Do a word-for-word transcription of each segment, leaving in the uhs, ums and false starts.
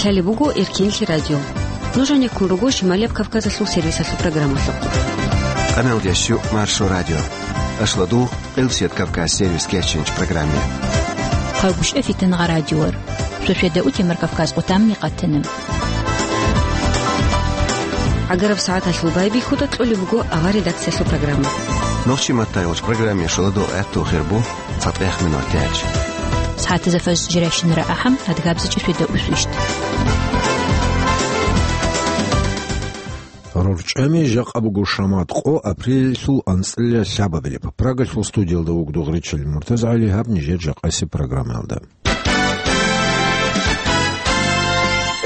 Лъалеб буго Эркенлъи радио. Нуж гьанеккун руго Шималияб Кавказалъул сервисалъул программалъухъ. Къаналдиясчу Маршо радио. Ашладу, Къилсият Кавказ сервис кечинч программе. Хъалбушев Фитангъа радиор. Сосведа утемар Кавказ къутамни къатана. ГӀагараб сагӀаталъул байбихьуда кьолеб буго авар редакциялъул программа. Нохчи маттайолч программе шуладо гӀатту хирбу. ЦатӀех минут тяч. СагӀатазда фаз жиращинара ахӀам, адгабзачӀи светаусвищ. РорчӀами жакъа буго шамат къо апрелалъул анцӀила лъабабилеб. Прагалъул студиялда вугдугъричил МуртазагӀали гьаб нижер жакъаси программаялда.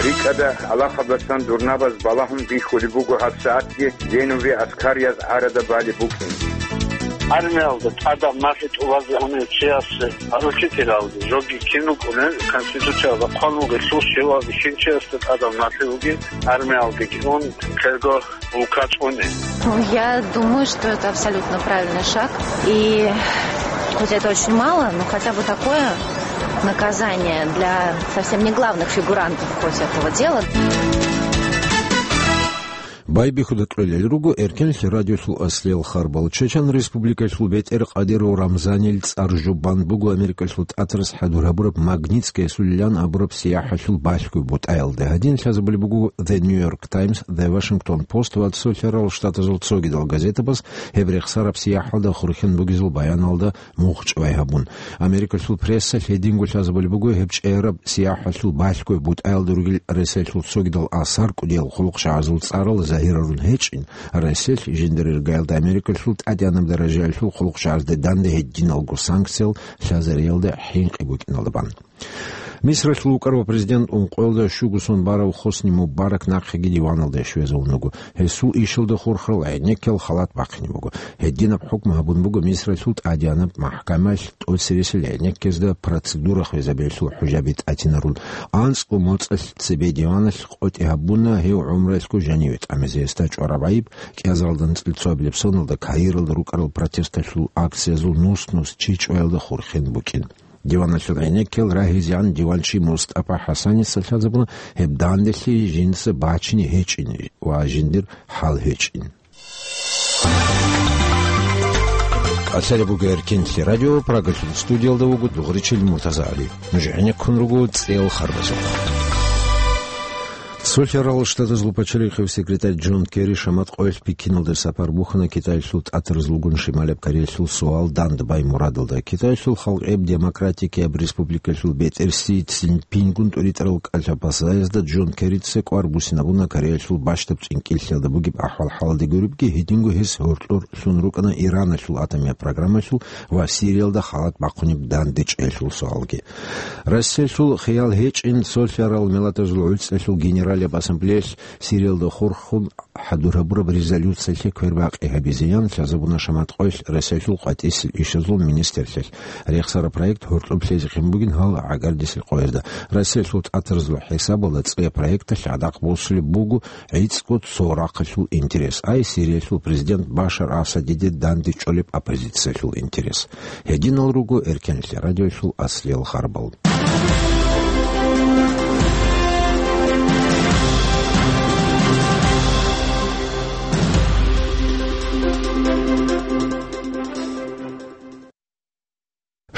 РикӀкӀада алахабасан дурнабаз балагьун бихьулеб буго гьабсагӀатги Генуве аскарияз гӀарада балеб букӀин. Армиялда тӀадаб нахъе тӀубазе унев чиясе, гьаручи тиралги, жоги кин рукӀунел, конституциялда хъван вугелъул щивав бихьинчиясда тӀадаб нахъе вугин армиялдеги ун, ккелго улка цӀуне. Ну, я думаю, что это абсолютно правильный шаг. И хоть это очень мало, но хотя бы такое наказание для совсем не главных фигурантов хоть этого дела. Байбихьуда кьолел руго Эркенлъи радиолъул аслиял харбал. Чечен Республикалъул бетӀер Къадиров Рамзанил цӀар жубан буго Америкалъул тӀатарас хӀадур гьабураб Магнитская сулилан абураб сияхӀалъул балъгой бутӀаялда. Гьадин лъазабулеб буго The New York Times, The Washington Post ва Цолъарал Штатазул цогидал газетабаз гьеб рехсараб сияхӀалда хурхен бугезул баяналда мугъчӀвай гьабун. Америкалъул прессалъ гьединго лъазабулеб буго гьеб чӀегӀераб сияхӀалъул балъгой бутӀаялда ругел Росиялъул цогидал асар кӀудиял хъулухъчагӀазул цӀарал загьирарун гьечӀин, Росиялъ жиндир иргаялда Америкалъул тӀадегӀанаб даражаялъул хъулухъчагӀазде данде гьединалго санкциял лъазариялда хӀинкъи букӀиналда бан. Мисралъул вукӀарав президент ункъоялда щуго сон барав Хосни Мубарак нахъеги диваналде щвезавун вуго. Гьесул ишалда хурхарал гӀенеккел халат бахъине буго. Гьединаб хӀукму гьабун буго Мисралъул тӀадегӀанаб махӀкамаялъ тӀоцересел гӀенеккезда процедура хвезабиялъул хӀужаби тӀатинарун. АнцӀго моцӀалъ цебе диваналъ къотӀи гьабуна гьев гӀумруялъго жаниве тӀамизе. Гьесда чӀвараб гӀайиб кӀиазаралда анцӀила цоабилеб соналда Каиралда рукӀарал протесталъул акциязул нус-нус чи чӀваялда хурхен букӀин. Диваналъул гӀенеккел рагьизегӀан диванчи МустӀапа ХӀасаница лъазабуна гьеб данделъи жинца бачине гьечӀин ва жиндир хӀал гьечӀин. Калъалеб буго Эркенлъи радио, Прагалъул студиялда вуго дугъричил МуртазагӀали. Нуж гӀенеккун руго цӀел харбазухъ. Цолъарал Штатазул пачалихъев секретарь Джон Керри шамат къоялъ Пекиналде сапар бухьана Китаялъул тӀатарзлугун Шималаб Кореялъул суал дандбай мурадалда. Китаялъул халкъияб демократикияб республикалъул бетӀер Си Цзиньпингун тӀуритӀарал кӀалъаб пасаязда Джон Керрица кӀвар бусинабуна Кореялъул бащдаб чӀинкӀиллъиялда бугеб ахӀвал-хӀалалде гуребги, гьединго гьес гьоркьор лъун рукӀана Ираналъул атомияб программалъул ва Сириялда халат бахъунеб дандечӀеялъул суалги. Россиялъул хиял гьечӀин, Цолъарал Миллатазул ГӀуцӀралъул Генералияб Ассамблеялъ Сириялда хурхун хӀадур гьабураб резолюциялъе квербакъи гьабизеян лъазабуна шамат къоялъ Россиялъул къватӀисел ишазул министрлъиялъ. Рехсараб проект гьоркьоб лъезехъин бугин гьал гӀагардисел къоязда. Россиялъул тӀатарзул хӀисабалда цӀе проекталъ гӀадакъ босулеб буго гӀицӀго цо рахъалъул интерес, ай Сириялъул президент Башар Асадиде дандечӀолеб оппозициялъул интерес. Гьединал руго Эркенлъи радиоялъул аслиял харбал.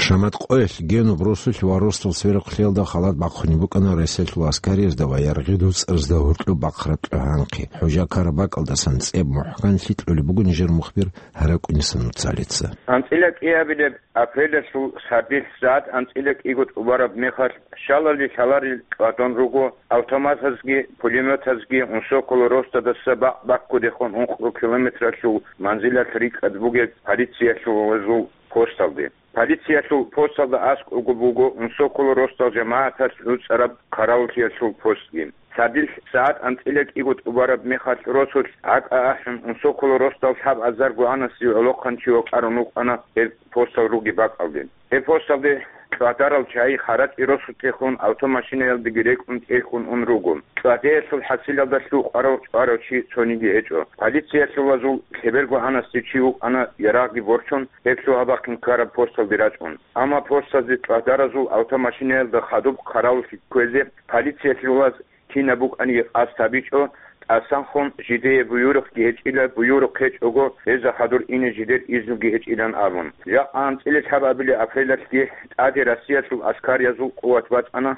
Шамат къоялъ Генуб росулъ ва росдал церехълъиялда халат бахъунеб букӀана Россиялъул аскариязда ва яргъи дуцӀарзда гьоркьоб бахъараб кьогьанхъи. ХӀужа ккараб бакӀалдасан цӀеб мухӀканлъи кьолеб буго нижер мухбир ГьаракӀуниса Нуцалица. АнцӀила кӀиабилеб апрелалъул сардилъ сагӀат анцӀила кӀиго тӀубараб мехалъ, щалали лъаларел тӀадван руго автоматазги, пулеметазги, унсокол росдадаса бакъ баккудехун ункъо километралъул манзилалъ рикӀкӀад бугеб полициялъул посталде. Полициялъул посталда аскӀобго буго унсокол росдал жамагӀаталъ гӀуцӀараб хъаравуллъиялъул постги. Сардилъ сагӀат анцӀила кӀиго тӀубараб мехалъ росулъ гӀакӀа ахӀун, унсокол росдал лъабазарго гӀанасев гӀолохъанчи вокьарун вукӀана гьеб постал ругеб бакӀалде. Гьеб посталде ЧӀвадарал чагӀи ХӀаракьи росулъехун автомашинаялдеги рекӀун тӀерхьун ун руго. ЧӀвадеялъул хӀасилалда лъукъарав чӀварав чи цониги гьечӀо. Полициялъулазул лъеберго гьанасде чи вукӀана ярагъги борчун, гьеб лъугьа-бахъин ккараб посталде рачӀун. Амма постазде чӀвадаразул автомашинаялда хадуб хъаравуллъи кквезе полициялъулаз кинаб букӀаниги къасд гьабичӀо, тӀасанхун жидее буюрухъги гьечӀила, буюрухъ гьечӀого, гьезда хадур ине жидер изнуги гьечӀилан абун. Жакъа анцӀила лъабабилеб апрелалъги тӀаде Россиялъул аскариязул къуват бачӀана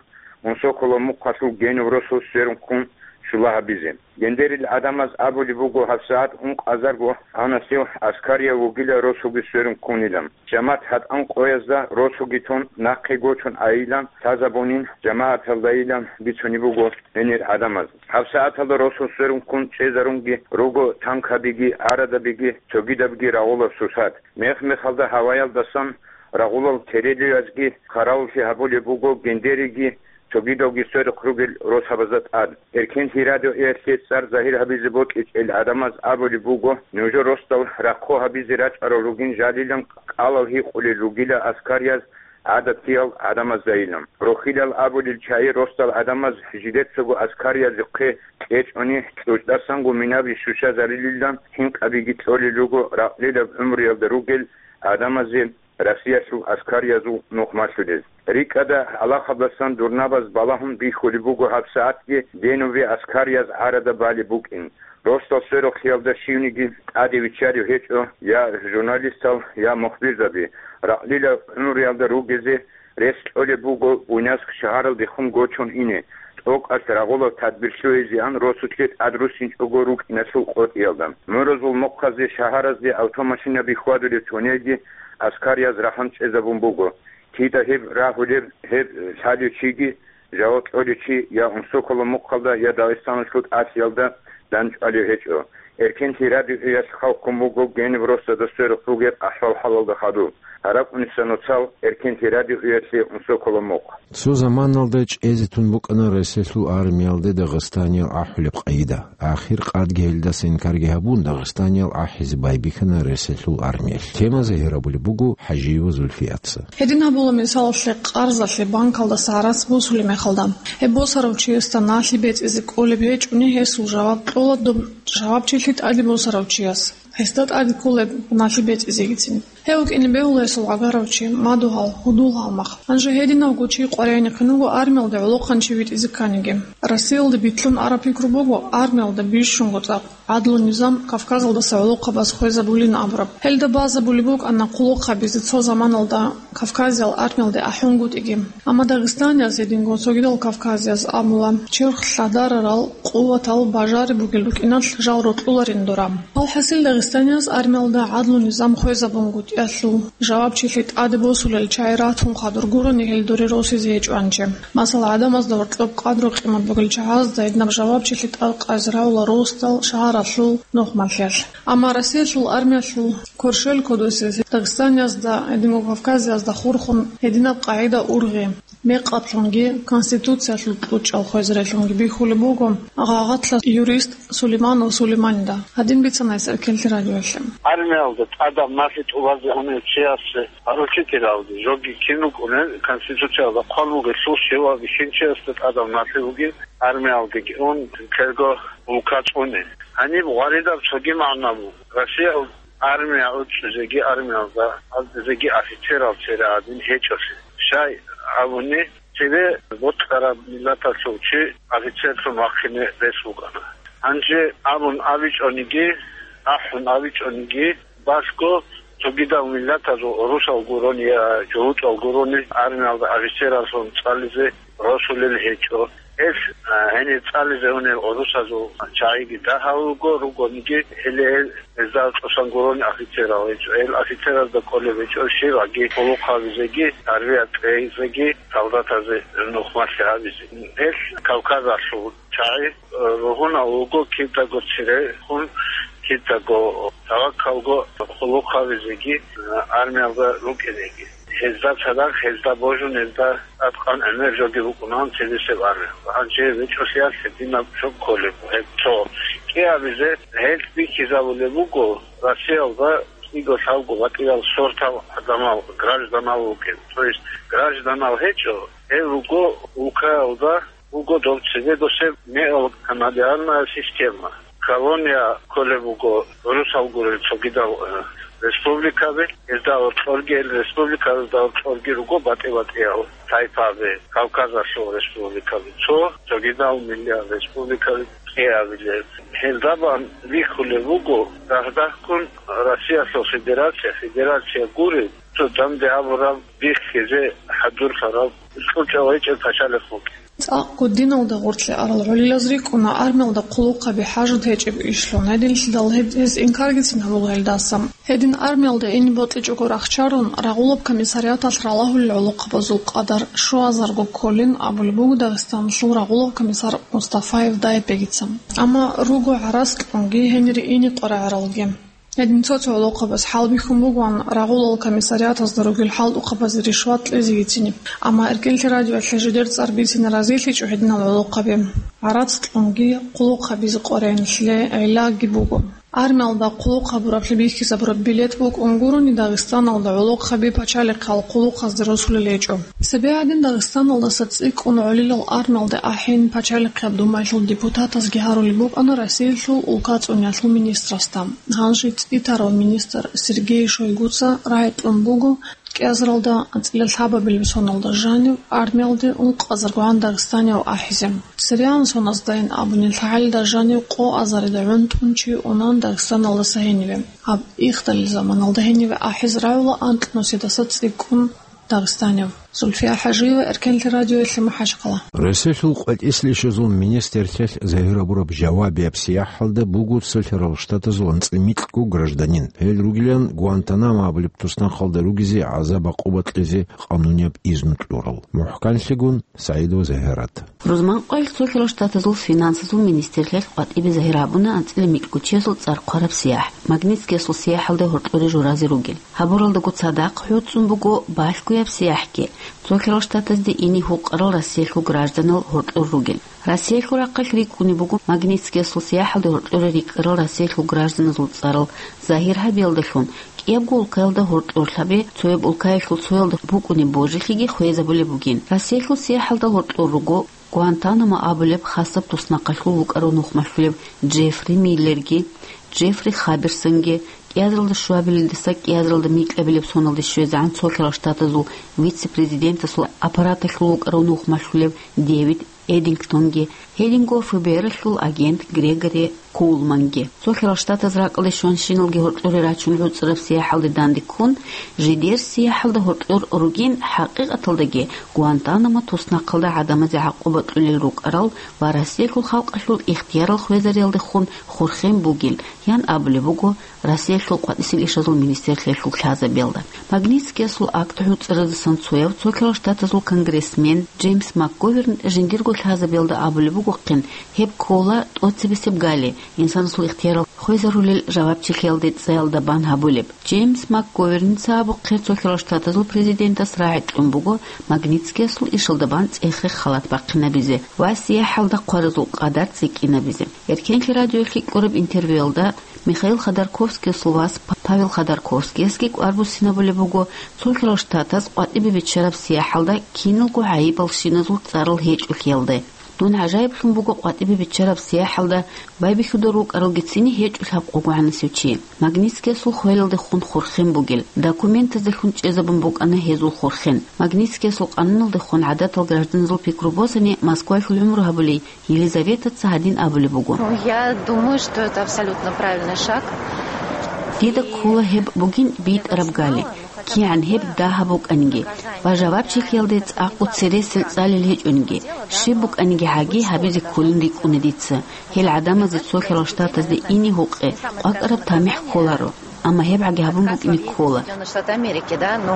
Унсоколо мухъалъул Генов росул сверун ккун щула гьабизе. Гендерил гӀадамаз абулеб буго гьабсагӀат ункъазарго гьанасев аскарияв вугила росулги сверун ккунилан. Жамат гьатӀан къоязда росуги тун, нахъе гочун айилан лъазабунин, жамагӀаталдайилан бицунеб буго гьенир гӀадамаз. ГьабсагӀаталда росун сверун ккун чӀезарунги руго танкабиги, гӀарадабиги, цогидабги рагъулаб сусад. Мех-мехалда гьаваялдасан рагъулал терелиязги хъаравуллъи гьабулеб буго гендериги, цогидалги сверухъ ругел росабазда тӀад. Эркенлъи радиоялъе цӀар загьир гьабизе бокьичӀел гӀадамаз абулеб буго, нужер росдал рахъо гьабизе рачӀарал ругин жалилан кӀалал гьикъулел ругила аскарияз гӀадатиял гӀадамаздайилан. Рохилал абулел чагӀи росдал гӀадамаз жидецаго аскариязухъе кьечӀони, кьучӀдасанго минаби щущазарилилан хӀинкъабиги кьолел руго ракълилаб гӀумруялда ругел гӀадамазе Россиялъул аскариязул нухмалъулел. РикӀкӀада, гьалахалдасан дурнабаз балагьун бихьулеб буго гьабсагӀатги Генове аскарияз гӀарада балеб букӀин. Росдал сверухълъиялда щивниги тӀаде виччарев гьечӀо, я журналистал, я мухбирзаби. Ракълила гӀумруялда ругезе рес кьолеб буго Буйнакск шагьаралдехун гочун ине, тӀокӀалъ рагъулаб тадбир лъугьизеан росулъе тӀад руссинчӀого рукӀиналъул къотӀиялда. Муразул мухъазе шагьаразде автомашинаби хьвадулев тунелги аскарияз рахӀун чӀезабун буго. Кида гьеб рагьулеб, гьеб лъалев чиги, жаваб кьолев чи я Унсоколо мухъалда, я Дагъистаналъул тӀалъиялда данчӀвалев гьечӀо. Эркенлъи радиоялъ хъалхъун буго Генов росдада сверухъ ругеб ахӀвал-хӀалалда хадуб. ГьаракӀуниса нуцал Эркенлъи радиоялъе Унсоколо мухъ. Цо заманалда чӀезе тун букӀана Россиялъул армиялде Дагъистаниял ахӀулеб къагӀида. Ахир къадги гьелдаса инкарги гьабун, Дагъистаниял ахӀизе байбихьана Россиялъул армиялъ. Тема загьир гьабулеб буго ХӀажиева Зульфияца. Гьедин гьабула, мисалалъе, къарзалъе банкалдаса гӀарац босулеб мехалда, гьеб босарав чиясда налъи бецӀизе кӀолеб гьечӀони, гьесул жаваб кьола доб жавабчилъи тӀаде босарав чияс. Гьесда тӀаде кколеб налъи бецӀизегицин. Гьев вукӀине бегьула гьесул гӀагарав чи, мадугьал, гьудул гьалмагъ. Гьанже гьединавго чи къваригӀинехъин вуго армиялде гӀолохъанчи витӀизе кканиги. Россиялде битлъун араб пикру буго армиялда бищунго цӀакъ гӀадлу-низам Кавказалдаса гӀолохъабаз хвезабулин абураб. Гьелда базабулеб букӀана хъулухъ гьабизе цо заманалда Кавказиял армиялде ахӀунгутӀиги. Амма дагъистанияз гьединго цогидал кавказияз абула, черх лъадарарал къуватал бажари бугел рукӀиналъ жал рокьуларин дора. Алхасил, дагъистанияз армиялда гӀадлу-низам хвезабунгутӀиялъул жавабчилъи тӀаде босулел чагӀи ратун хадур гурони гьел доре росизе гьечӀо гьанже. Масала, гӀадамазда гьоркьоб къадру-къимат бугел чагӀазда гьединаб жавабчилъи тӀад къайзе равула росдал шагьаралъул нухмалъиялъ. Амма Россиялъул армиялъул кверщел кодосе Дагъистаниязда, гьединго Кавказиязда хурхун гьединаб къагӀида ургъи, мекъатлъунги Конституциялъул кьучӀал хвезарелъунги бихьулеб буго гъагъатлъа юрист Сулейманов Сулейманида. Гьадин бицана гьес Эркенлъи радиоялъе. Армиялда тӀадаб налъи тӀубазе унев чиясе поручителалги, жоги кин вукӀунел, Конституциялда хъван бугелъул щивав бихьинчиясда тӀадаб налъи бугин, армиялдеги ун, кӀерго улка цӀуне. Гьаниб гъваридаб цоги магӀна буго. Россиял армия учӀизеги, армиялда гьаздезеги офицерал цере гӀадин гьечӀолъи. Щай абуни, цебе бокьараб миллаталъул чи офицерлъун вахъине рес букӀана. Гьанже абун абичӀониги, ахӀун абичӀониги, балъго цогидал миллатазул, русал гурони я жугьутӀал гурони, армиялда офицераллъун цӀализе росулел гьечӀо. Гьел, а, гьенир цӀализе унел русазул чагӀиги дагьав руго, ругониги, гьеле гьел гьезда тӀосан гурони офицерал гьечӀо. Гьел офицеразда кӀолеб гьечӀо щибаги хъулухъ гьабизеги, тарбия кьейизеги, солдатазе нухмалъи гьабизе. Гьел Кавказалъул чагӀи, э, ругьунал руго, кидаго церехун, кидаго таваккалго хъулухъ гьабизеги, э, армиялда рукӀинеги. Гьезда цадахъ, гьезда божун, гьезда аткъан гӀемер жоги букӀунаан цебесеб армиялда. Гьанже гьеб гьечӀолъиялъ гьединаб жо кколеб, гьеб цо. КӀиабизе гьел бихьизабулеб буго Россиялда кӀиго-лъабго батӀиял сортал гӀадамал, гражданал вугев. То есть гражданал гьечӀо, гьел руго улкаялда, вуго дов цебего сев мегьал каналиарная система. Колония кколеб буго гӀурусал гурел цогидал, э, республикаби, гьезда гьоркьорги, гьел республикаялда гьоркьорги руго батӀи-батӀиял тайпаби, Кавказалъул республикаби, цо цогидал миллият республикаби кьеабилеб. Гьелда бан бихьулеб буго, дагь-дагьккун Россиялъул Федерация, Федерация гуреб, цо данде абураб бихьизе хӀадурлъараб, кьучӀав гьечӀеб пачалихъ букӀин. ЦӀакъго диналда гъорлъе арал гӀолилаз рикӀкӀуна армиялда хъулухъаби хӀажат гьечӀеб ишлъун. Гьединлъидал гьеб гьес инкаргицин гьабула гьелдаса. Гьедин армиялда ине бокьичӀого рахчарун, рагъулаб комиссариаталъ ралагьулел гӀолохъабазул къадар щуазарго кколин абулеб буго Дагъистаналъул рагъулаб комиссар Мустафаев Дайбегица. Амма руго гӀарац кьунги гьенире ине къварагӀаралги. Гьедин цо-цо гӀолохъабаз хӀалбихьун бугоан рагъулал комиссариатазда ругел хӀалтӀухъабазе ришват кьезе бицине. Амма Эркенлъи радиоялъе жидер цӀар бицине разилъичӀо гьединал гӀолохъаби. ГӀарац кьунги хъулухъабизе къваригӀинлъи гӀиллаги буго. Армиялда хъулухъ гьабураблъи бихьизабураб билет букӀун гурони, Дагъистаналда гӀолохъаби пачалихъал хъулухъазде росулел гьечӀо. Цебе гьадин Дагъистаналдаса цӀикӀкӀун гӀолилал армиялде ахӀен Пачалихъияб Думаялъул депутатазги гьарулеб букӀана Россиялъул улкацӀуниялъул министрасда. Гьанже цӀитарав министр Сергей Шойгуца рагӀи кьун буго кӀиазаралда анцӀила лъабабилеб соналда жанив армиялде ункъазаргогӀан дагъистанияв ахӀизе. Цереан соназдайин абуни, лъагӀалида жанив къо азарида гӀунтӀун чи унан Дагъистаналдаса гьениве. Гьаб ихдалил заманалда гьениве ахӀиз рагӀула анкьнусидаса цӀикӀкӀун дагъистанияв. Зульфия ХӀажиева, Эркенлъи радиоялъе, МахӀачхъала. Россиялъул къватӀислъи ишазул министрлъиялъ загьир гьабураб жавабияб сияхӀалда буго Цолъарал Штатазул анцӀила микьго гражданин. Гьел ругилан Гуантанамо абулеб туснахъалда ругезе гӀазаб-гӀакъуба кьезе къанунияб изну кьурал. МухӀканлъигун СагӀидова Загьират. Рузманкъоялъ Цолъарал Штатазул финансазул министрлъиялъ къватӀибе загьир гьабуна анцӀила микьго чиясул цӀар хъвараб сияхӀ, Магнитскиясул сияхӀалда гьоркьоре журазе ругел. Гьабуралдаго цадахъ гӀуцӀун буго балъгояб сияхӀги, Цолъарал Штатазде ине гьукъарал Россиялъул гражданал гьоркьор ругел. Россиялъул рахъалъ рикӀкӀунеб буго Магнитскиясул сияхӀалда гьоркьоре рикӀкӀарал Россиялъул гражданазул цӀарал загьир гьабиялдалъун, кӀиябго улкаялда гьоркьорлъаби, цояб улкаялъул цоялда букӀунеб божилъиги хвезабулеб бугин. Россиялъул сияхӀалда гьоркьор руго Гуантанамо абулеб хасаб туснахъалъув вукӀарав нухмалъулев Джеффри Миллерги, Джеффри Хаберсонги, кӀиазаралда щуабилелдаса кӀиазаралда микьабилеб соналде щвезегӀан Цолъарал Штатазул вице-президентасул аппараталъув вукӀарав нухмалъулев Дэвид Эдингтонги, гьединго ФБР-алъул агент Грегори Коулманги. Цолъарал Штатаз ракӀалде щванщиналги гьоркьоре рачун гӀуцӀараб сияхӀалде данде ккун, жидер сияхӀалда гьоркьор ругин, хӀакъикъаталдаги Гуантанамо туснахъалда гӀадамазе гӀакъуба кьулел рукӀарал ва Россиялъул халкъалъул ихтиярал хвезариялдехун хурхен бугел, ян абулеб буго Россиялъул къватӀисел ишазул министрлъиялъул лъазабиялда. Магнитскиясул акт гӀуцӀаразасан цояв Цолъарал Штатазул конгрессмен Джеймс МакГоверн жиндирго лъазабиялда абулеб бугохъин, гьеб ккола тӀоцебесеб гали, инсанасул ихтиярал хвезарулел жавабчилъиялде цӀаялда бан гьабулеб. Джеймс МакГоверница абухъе Цолъарал Штатазул президентас рагӀи кьун буго Магнитскиясул ишалда бан цӀехе халат бахъинабизе ва сияхӀалда хъваразул къадар цӀикӀкӀинабизе. Эркенлъи радиоялъе кьураб интервьюялда Михаил Ходорковскиясул вас П-, Павел Ходорковскиясги кӀвар буссинабулеб буго Цолъарал Штатаз къватӀибе биччараб сияхӀалда киналго гӀайибалщиназул цӀарал гьечӀолъиялда. Дун гӀажаиблъун буго къватӀибе биччараб сияхӀалда байбихьудал рукӀаралгицин гьечӀо лъабкъого гӀанасев чи. Магнитскиясул хвелалдехун хурхен бугел, документаздехун чӀезабун букӀана гьезул хурхен. Магнитскиясул къануналдехун гӀадатал гражданазул пикру босани Москваялъул гӀумру гьабулей Елизаветаца гьадин абулеб буго. Ну, я думаю, что это абсолютно правильный шаг. Дида ккола гьеб бугин битӀараб гали, кигӀан гьеб дагьаб букӀаниги ва жавабчилъиялде цӀакъго цересел цӀалел гьечӀониги, щиб букӀаниги гьаги гьабизе кколин рикӀкӀуна дица. Гьел гӀадамазе Цолъарал Штатазде ине гьукъе къвакӀараб тамихӀ кколаро. Амма гьеб гӀаги гьабун букӀине ккола. Соединённые Штаты Америки, да, но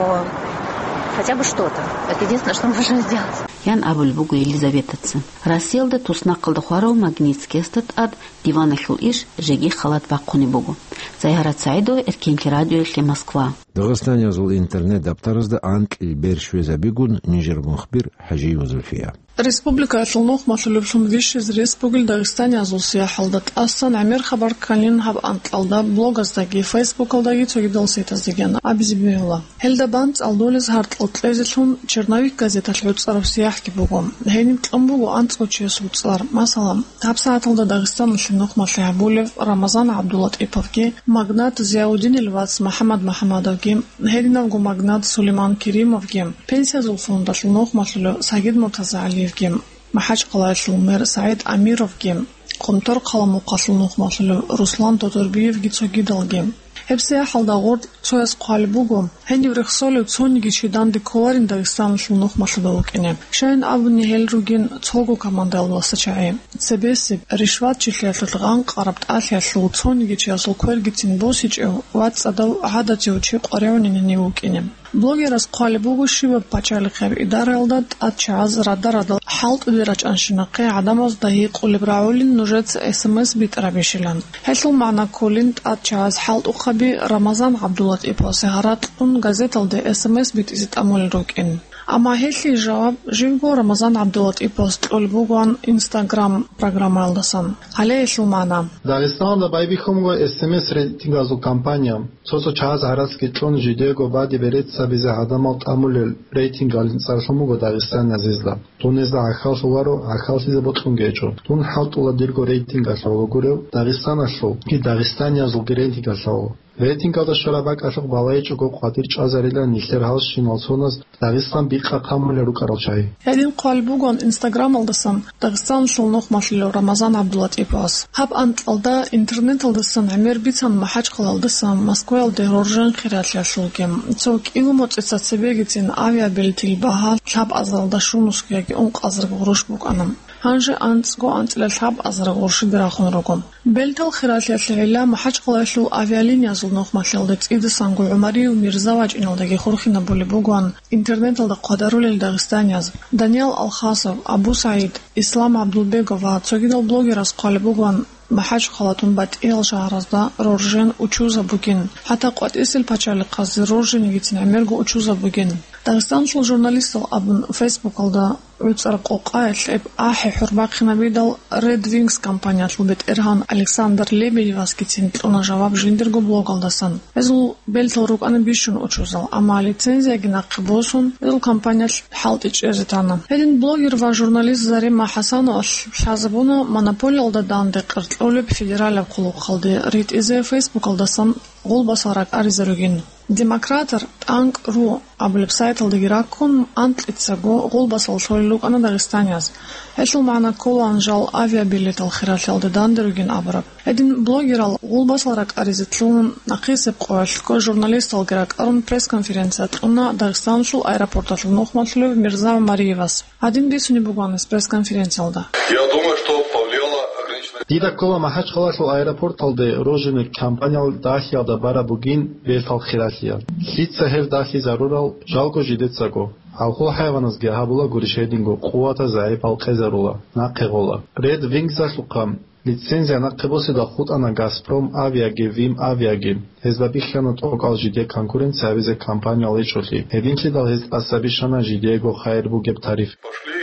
хотя бы что-то. Это единственное, что мы можем сделать. Ян абулеб буго Елизаветаца. Россиялда туснахъалда хварав Магнитскиясда тӀад диваналъул иш жеги халат бахъунеб буго. Загьират СагӀидова, Эркенлъи радиоялъе, Москва. Дагъистаниязул интернет-даптаразда анкьил бер щвезабигун нижер мухбир ХӀажиева Зульфия. Республикаялъул нухмалъулеблъун вищизе рес бугел дагъистаниязул сияхӀалда тӀасан гӀемер хабар кканин гьаб анкьалда блогаздаги, фейсбукалдаги цогидал сайтаздагиян абизе бегьула. Гьелда бан цӀалдолез гьаркьал кьезелъун «Черновик» газеталъ гӀуцӀараб сияхӀги буго. Гьениб кьун буго анцӀго чиясул цӀар. Масала, гьабсагӀаталда Дагъистаналъе нухмалъи гьабулев Рамазан ГӀабдулатӀиповги, магнат Зияудинил вац МахӀаммад МахӀаммадовги, гьединавго магнат Сулейман Керимовги, пенсиязул фондалъул нухмалъулев Сагид МуртазагӀалиевги, МахӀачкъалаялъул мэр СагӀид Амировги, Къумторхъала мухъалъул нухмалъулев Руслан Тодорбиевги цогидалги. Гьеб сияхӀалда гъоркь цояс хъвалеб буго, гьенив рехсолев цониги чи данде кколарин Дагъистаналъул нухмалъуда вукӀине. Щайин абуни, гьел ругин цого командаялдаса чагӀи. Цебесеб, ришватчилъиялъулъ гъанкъараб тӀалъиялъул цониги чиясул квергицин босичӀев ва цӀадав гӀадатив чи къваригӀунин гьенив вукӀине. Блогерас хъвалеб буго, щибаб пачалихъияб идараялда тӀад чагӀаз рада-радал хӀалтӀуде рачӀанщинахъе гӀадамазда гьикъулеб рагӀулин нужеца эс эм эс битӀарабищилан. Гьелъул магӀна кколин тӀад чагӀаз хӀалтӀухъаби Рамазан ГӀабдулатӀиповасе гьаракь кьун газеталде эс эм эс битӀизе тӀамулел рукӀин. Амма гьелъие жаваб живго Рамазан ГӀабдулатӀиповас кьолеб бугоан Instagram программаялдасан. Гьале гьелъул магӀна. Дагъистаналда байбихьун буго эс эм эс рейтингазул кампания. Цо-цо чагӀаз гьарацги кьун, жидего баде берец гьабизе гӀадамал тӀамулел рейтингалин цӀарлъун буго дагъистаниязезда. Дун гьезда гӀахьаллъуларо, гӀахьаллъизе бокьунги гьечӀо. Дун хӀалтӀула дирго рейтингалъ гӀоло гурев, Дагъистаналъулги дагъистаниязулги рейтингалъ гӀоло. Рейтингалда щвараб бакӀалъухъ балайчӀого къватӀир чӀвазарилан нилъер гьалщинал соназ Дагъистан бикъа камулел рукӀарал чагӀи. Гьедин хъвалеб бугоан Инстаграмалдасан Дагъистаналъул нухмалъулев Рамазан ГӀабдулатӀиповас. Гьаб анкьалда интернеталдасан гӀемер бицан МахӀачкъалаялдасан Москваялде роржен хиралъиялъулги. Цо кӀиго моцӀица цебегицин авиабилетил багьа лъабазаралда щунусго яги ункъазарго гъурущ букӀана. Гьанже анцӀго анцӀила лъабазарго гъурщиде рахун руго. Белтал хиралъиялъе гӀилла МахӀачкъалаялъул авиалиниязул нухмалъиялде цӀидасанго ГӀумарияв Мирза вачӀиналдаги хурхинабулеб бугоан интернеталда хъвадарулел дагъистанияз Даниял Алхасов, Абу СагӀид, Ислам ГӀабдулбегов ва цогидал блогераз хъвалеб бугоан МахӀачкъалатун батӀиял шагьаразда роржен учузаб бугин, хӀатта къватӀисел пачалихъазе рорженигицин гӀемерго учузаб бугин. Дагъистаналъул журналистал абун фейсбукалда гӀуцӀар къокъаялъ гьеб ахӀи хӀурбахъинабидал Red Wings компаниялъул бетӀергьан Александр Лебедевасгицин кьуна жаваб жиндирго блогалдасан. Гьезул белтал рукӀана бищун учузал, амма лицензияги нахъе босун, гьезул компаниялъ хӀалтӀи чӀезе тана. Гьедин блогер ва журналист Зарима ХӀасановалъ лъазабуна монополиялда данде къеркьулеб федералияб хъулухъалде ритӀизе фейсбукалдасан гъулбасал ракӀаризе ругин. Демократор тӀанкӀ ру абулеб сайталдаги раккун, анкьицаго гъулбасал лъолел рукӀана дагъистанияз. Гьелъул магӀна кколаан жал авиабилетал хиралъиялда данде ругин абураб. Гьедин блогерал гъулбасал ракӀаризе лъугьун, нахъисеб къоялъго журналисталги ракӀарун пресс-конференция кьуна Дагъистаналъул аэропорталъул нухмалъулев Мирза ГӀумариевас. Гьадин бицунеб буго гьаниб пресс-конференциялда. Я думаю, что повлияло ограниченное Дида ккола МахӀачкъалалъул аэропорталде рорженил компаниялъ дагьлъиялда бараб бугин белтал хиралъиялъ. Лъица гьел дагьлъизарурал жалго жидецаго. Гьалхул хӀайваназги гьабула гурищ гьединго къуватаз загӀипал къезарула, нахъе гъола. Red Wings-алъухъа лицензия нахъе босида хутӀана Газпром авиаги, Вим авиаги. Гьезда бихьана тӀокӀал жиде конкуренция гьабизе компаниял гьечӀолъи. Гьединлъидал гьез тӀаса бищана жидеего хайир бугеб тариф. Пошли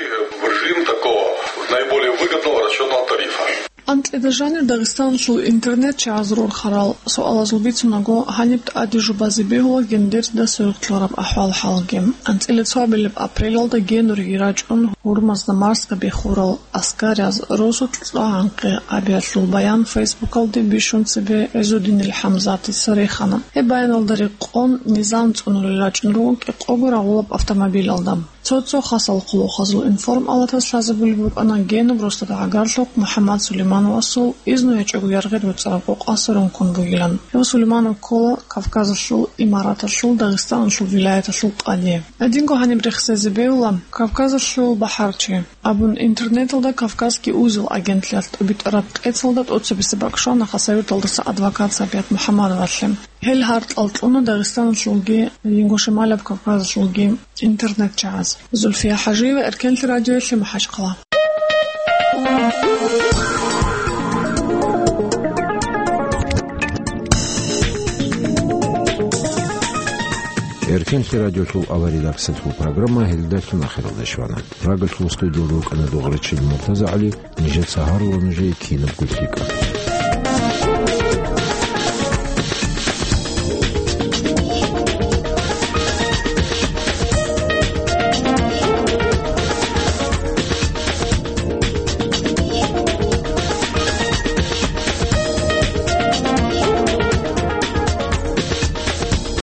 в режим такого наиболее выгодного расчётного тарифа. Анкьида жанир Дагъистаналъул интернет-чагӀаз рорхарал суалазул бицунаго, гьаниб тӀаде жубазе бегьула гендерда сверухълъараб ахӀвал-хӀалги. АнцӀила цоабилеб апрелалда генуриги рачӀун, гьурмазда марсгабихьурал аскарияз росулъ цӀа гӀанкъи абиялъул баян фейсбукалде бищун цебе ГӀизудинил ХӀамзатица рехана. Гьеб баяналда рекъон, низам цӀунулел рачӀун руго кӀикъого рагъулаб автомобилалда. Цо-цо хасал хъулухъазул информ-алатас лъазабулеб букӀана генуб росдада гӀагарлъухъ МухӀаммад Сулеймановасул изну гьечӀого яргъи руцӀараб къокъасе рункун бугилан. Гьев Сулейманов ккола Кавказалъул имараталъул Дагъистаналъул вилаяталъул къади. Гьединго гьаниб рехсезе бегьула Кавказалъул бахӀарчи абун интернеталда «Кавказский узел» агентлъиялъ тӀубитӀараб къецалда тӀоцебесеб бакӀ щвана Хасавюрталдаса адвокат Сабият МухӀаммадовалъе. Гьел гьаркьал кьуна Дагъистаналъулги Ингушетиялъул Кавказалъулги интернет-чагӀаз. Зульфия ХӀажиева, Эркенлъи радиоялъе, МахӀачкъала. Эркенлъи радиолъул авария редакциялъул программа гьелдалъун ахиралде щвана. Прагалъул студиялда вукӀана дугӀрачил МуртазагӀали, нижеца гьарула нужее кинабго лъикӀаб.